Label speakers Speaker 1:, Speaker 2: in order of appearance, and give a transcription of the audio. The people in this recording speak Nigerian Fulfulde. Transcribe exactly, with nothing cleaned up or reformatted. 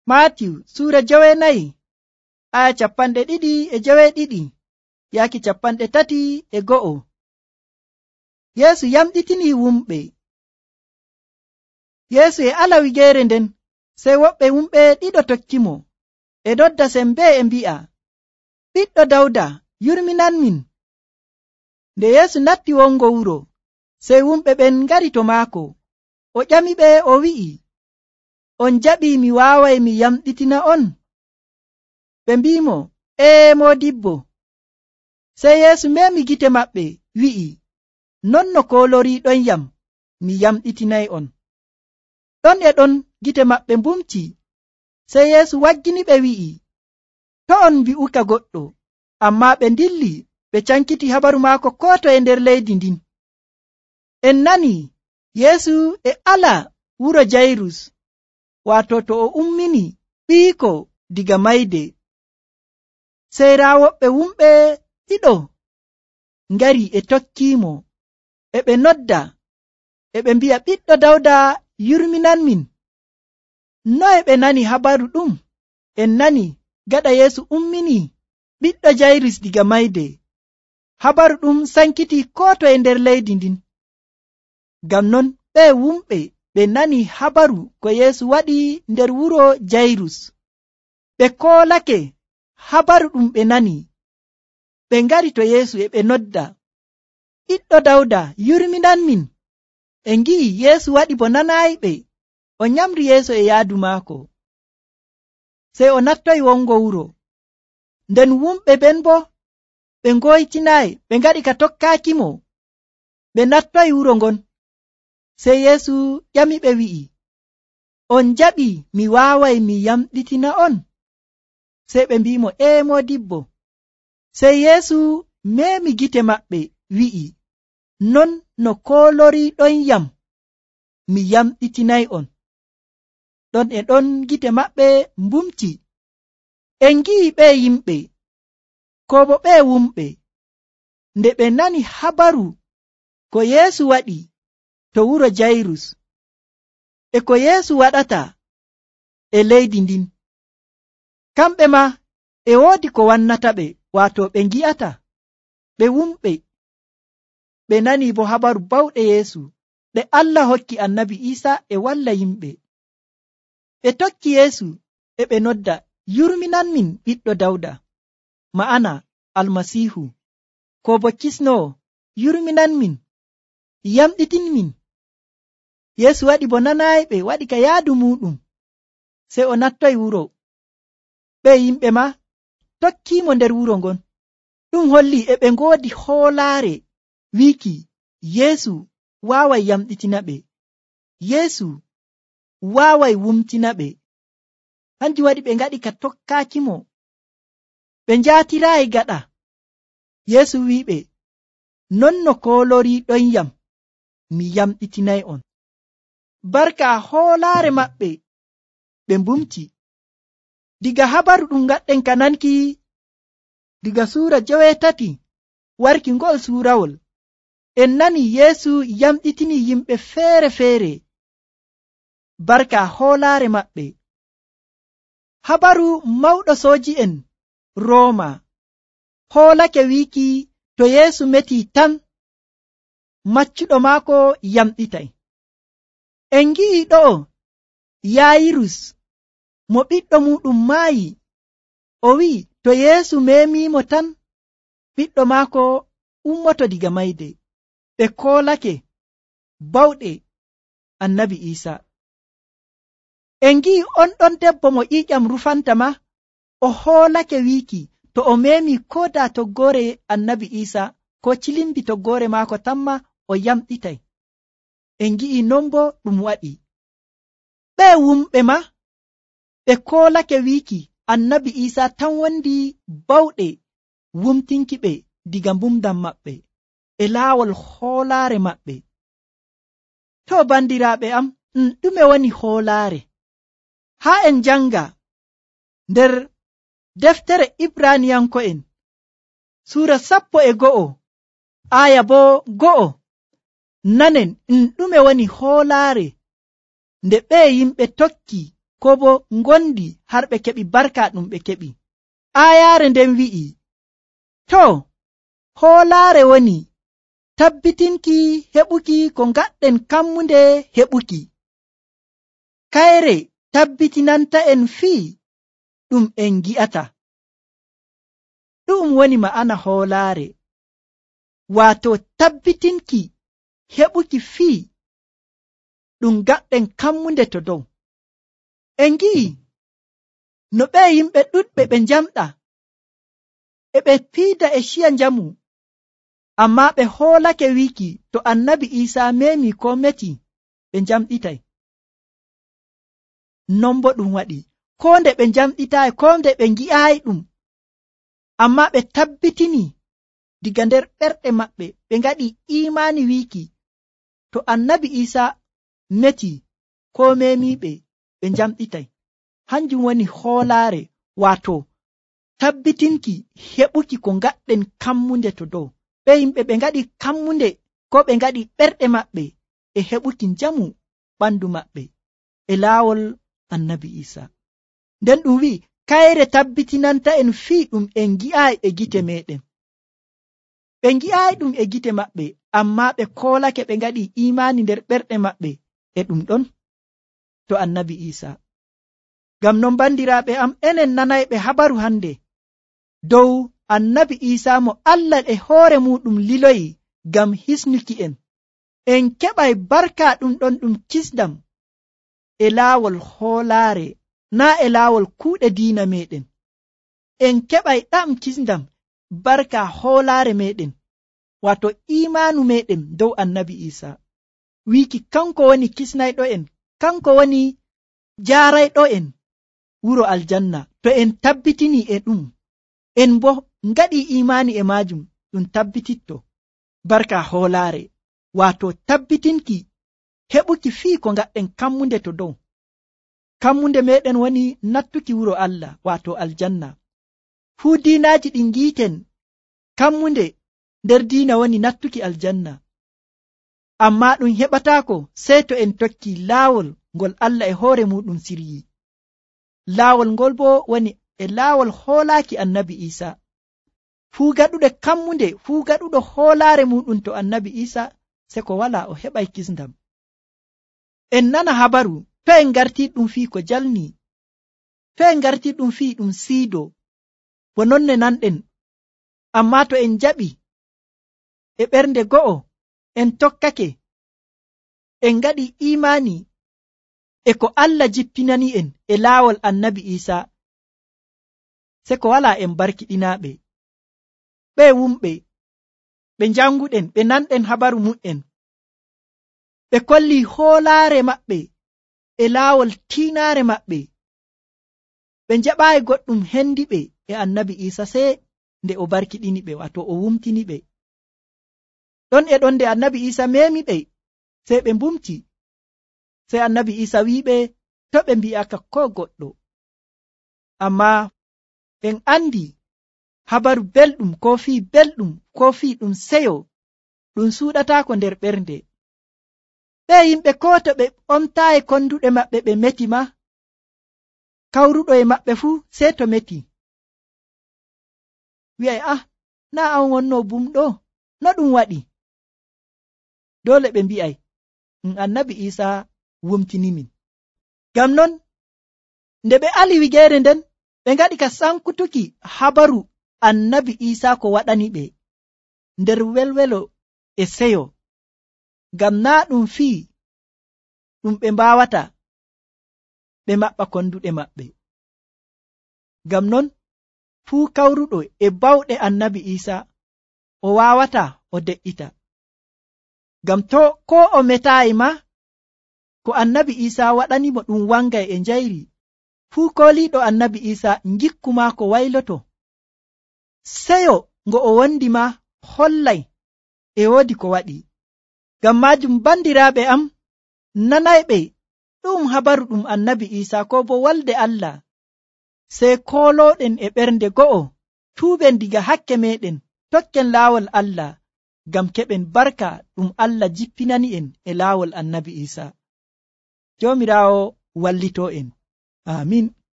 Speaker 1: Maatiyu suura jowenayi aya capanɗe ɗiɗi e joweeɗiɗi yaaki capanɗe tati e go'o. Yeesu yamɗitini wumɓe. Yeesu e ala wigeere nden, sey woɓɓe wumɓe ɗiɗo tokkimo e nodda sembe e mbi'a, ɓiɗɗo Dawda, yurminanmin. Nde Yeesu natti wongo wuro, sey wumɓe ɓen ngari to maako. O ƴamiɓe o wi'i, on jaɓii mi waaway mi yamɗitina on? Ɓe mbi'imo, ee moodibbo. Sey Yeesu memi gite maɓɓe wi'i, non no kooloriiɗon yam, mi yamɗitinay on. Ɗon e ɗon gite maɓɓe mbumti. Sey Yeesu waggini ɓe wi'i, to on mbi'uka goɗɗo. Ammaa ɓe ndilli ɓe cankiti habaru maako koo to e nder leydi ndin. En nani Yeesu e ala wuro Jayrus, waato to o ummini ɓiiko diga mayde. Sey raa woɓɓe wumɓe ɗiɗo ngari e tokkiimo, e ɓe nodda, e ɓe mbi'a, ɓiɗɗo Dawda, yurminanmin. Noye ɓe nani habaru ɗum? En nani gaɗa Yeesu ummini ɓiɗɗo Jayrus diga mayde. Habaru ɗum sankiti koo to e nder leydi ndin. Ngam non ɓe wumɓe ɓe nani habaru ko Yeesu waɗi nder wuro Jayrus. Ɓe koolake habaru ɗum ɓe nani. Ɓe ngari to Yeesu e ɓe nodda, ɓiɗɗo Dawda, yurminanmin. E ngi'i Yeesu waɗi bo nanaayiɓe, o nyamri yeeso e yaadu maako. Sey o nattoyi wongo wuro. Nden wumɓe ɓen bo ɓe ngoytinaayi, ɓe ngaɗi ka tokkaakimo. Ɓe nattoyi wuro ngon. Sey Yeesu ƴamiɓe wi'i, on jaɓi mi waaway mi yamɗitina on? Sey ɓe mbi'imo, ee moodibbo. Sey Yeesu memi gite maɓɓe wi'i, non no kooloriiɗon yam, mi yamɗitinay on. Ɗon e ɗon gite maɓɓe mbumti. En ngi'i ɓe yimɓe, ko bo ɓe wumɓe, nde ɓe nani habaru ko Yeesu waɗi to wuro Jayrus, e ko Yeesu waɗata e leydi ndin. Kamɓe ma e woodi ko wannata ɓe, waato ɓe ngi'ata. Ɓe wumɓe ɓe nani bo habaru bawɗe Yeesu ɗe Allah hokki annabi Iisa e walla yimɓe. Ɓe tokki Yeesu e ɓe nodda, yurminanmin ɓiɗɗo Dawda, ma'ana Almasiihu, ko bo kisnowo, yurminanmin, yamɗitinmin. Yeesu waɗi bo nanaayiɓe, waɗi ka yaadu muɗum. Sey o nattoyi wuro. Ɓe yimɓe ma tokkiimo nder wuro ngon. Ɗum holli e ɓe ngoodi hoolaare wiiki Yeesu waaway yamɗitina ɓe. Yeesu waaway wumtina ɓe. Hanjum waɗi ɓe ngaɗi ka tokkaakimo. Ɓe njaatiraayi gaɗa. Yeesu wi'iɓe, non no kooloriiɗon yam, mi yamɗitinay on. Barka hoolaare maɓɓe ɓe mbumti. Diga habaru ɗum ngaɗɗen ka nanki diga suura joweetati warki ngol suurawol, en nani Yeesu yamɗitini yimɓe feere-feere barka hoolaare maɓɓe. Habaru mawɗo sooji'en Rooma hoolake wiiki to Yeesu metii tan, maccuɗo maako yamɗitay. En ngi'i ɗo'o Yaayirus mo ɓiɗɗo muɗum maayi. O wi'i to Yeesu memiimo tan, ɓiɗɗo maako ummoto diga mayde. Ɓe koolake bawɗe annabi Iisa. En ngi'i on ɗon debbo mo ƴiiƴam rufanta ma, o hoolake wiiki to o memi ko da toggoore annabi Iisa ko cilimbi toggoore maako tamma o yamɗitay. En ngi'i non bo ɗum waɗi. Ɓe wumɓe ma ɓe koolake wiiki annabi Iisa tan wondi bawɗe wumtinki ɓe diga mbumdam maɓɓe e laawol hoolaare maɓɓe. To bandiraaɓe am, ɗum ɗume woni hoolaare? Haa en janga nder deftere Ibraniyanko'en suura sappo e go'o aya bo go'o, nanen ɗum ɗume woni hoolaare nde ɓe yimɓe tokki ko bo ngondi har ɓe keɓi barka ɗum ɓe keɓi. Aayaare nden wi'i, to hoolaare woni tabbitinki heɓuki ko ngaɗɗen kammunde heɓuki. Kayre tabbitinanta en fii ɗum en gi'ata. Ɗum woni ma'ana hoolaare, waato tabbitinki heɓuki fii ɗum ngaɗɗen kammunde to dow. En ngi'i no ɓe yimɓe ɗuɗɓe ɓe njamɗa e ɓe piida e ciya njamu, ammaa ɓe hoolake wiiki to annabi Iisaa memi ko meti ɓe njamɗitay. Non bo ɗum waɗi, ko nde ɓe njamɗitaayi, ko nde ɓe ngi'aayi ɗum, ammaa ɓe tabbitini diga nder ɓerɗe maɓɓe, ɓe ngaɗi iimaani wiiki to annabi Iisaa meti ko memiiɓe ɓe njamɗitay. Hanjum woni hoolaare, waato tabbitinki heɓuki ko ngaɗɗen kammunde to dow. Ɓe yimɓe ɓe ngaɗi kammunde ko ɓe ngaɗi ɓerɗe maɓɓe e heɓuki njamu ɓandu maɓɓe e laawol annabi Iisaa. Nden ɗum wi'i kayre tabbitinanta en fii ɗum en gi'aayi e gite meɗen. Ɓe ngi'aayi ɗum e gite maɓɓe, ammaa ɓe koolake ɓe ngaɗi iimaani nder ɓerɗe maɓɓe e ɗum ɗon to annabi Iisaa. Ngam non bandiraaɓe am, enen nanayɓe habaru hande dow annabi Iisaa mo Allah e hoore muɗum liloyi ngam hisnuki en. En keɓay barka ɗum ɗon ɗum kisdam e laawol hoolaare, naa e laawol kuuɗe diina meɗen. En keɓay ɗam kisdam barka hoolaare meɗen, wato imaanu meɗen dow annabi Iisaa. Wiiki kanko woni kisnayɗo en, kanko woni jaarayɗo en wuro aljanna. To en tabbitini e ɗum, en bo ngaɗi imaani e maajum, ɗum tabbititto barka hoolaare, wato tabbitinki heɓuki fii ko ngaɗɗen kammunde to dow. Kammunde meɗen woni nattuki wuro Allah, wato aljanna. Fuu diinaaji ɗi ngiiten kammunde nder diina woni nattuki aljanna, ammaa ɗum heɓataako sey to en tokki laawol ngol Allah e hoore muɗum siryi. Laawol ngol bo woni e laawol hoolaaki annabi Iisaa. Fuu gaɗuɗo kammunde, fuu gaɗuɗo hoolaare muɗum to annabi Iisaa, se ko walaa o heɓay kisndam. En nana habaru, to en ngartii ɗum fii ko jalni, to en ngartii ɗum fii ɗum siido, bo nonne nanɗen. Ammaa to en jaɓi e ɓernde go'o, en tokkake, en ngaɗi imaani e ko Allah jippinani en e laawol annabi Iisaa, se ko walaa en barkiɗinaaɓe. Ɓe wumɓe, ɓe njanguɗen, ɓe nanɗen habaru mu'en, ɓe kolli hoolaare maɓɓe e laawol tiinaare maɓɓe. Ɓe njaɓaayi goɗɗum hendiɓe e annabi Iisaa sey nde o barkiɗini ɓe, wato o wumtini ɓe. Ɗon e ɗon nde annabi Iisaa memi ɓe, sey ɓe mbumti. Sey annabi Iisaa wi'iɓe to ɓe mbi'aka ko goɗɗo. Ammaa en andi habaru belɗum, ko fii belɗum, ko fii ɗum seyo, ɗum suuɗataako nder ɓernde. Ɓe yimɓe ko to ɓe ɓomtaayi konduɗe maɓɓe ɓe meti ma, kawruɗo e maɓɓe fuu sey to meti. Wi'ay, ah, naa an wonno bumɗo, no ɗum waɗi? Doole ɓe mbi'ay, um annabi Iisaa wumtinimin. Ngam non, nde ɓe ali wigeere nden, ɓe ngaɗi ka sankutuki habaru annabi Iisaa ko waɗani ɓe nder welwelo e seyo, ngam naa ɗum fii ɗum ɓe mbaawata ɓe maɓɓa konduɗe maɓɓe. Ngam non, fuu kawruɗo e bawɗe annabi Iisaa o waawata o de'ita. Ngam to ko o metaayi ma, ko annabi Iisaa waɗani mo ɗum wangay e njayri. Fuu kooliiɗo annabi Iisaa ngikku maako wayloto. Seyo ngo o wondi ma hollay e woodi ko waɗi. Ngam maajum bandiraaɓe am, nanayɓe ɗum habaru ɗum annabi Iisaa ko bo walde Allah, sey koolooɗen e ɓernde go'o, tuuɓen diga hakke meɗen, tokken laawol Allah, ngam keɓen barka ɗum Allah jippinani en e laawol annabi Iisaa. Joomiraawo wallitoo en. amin.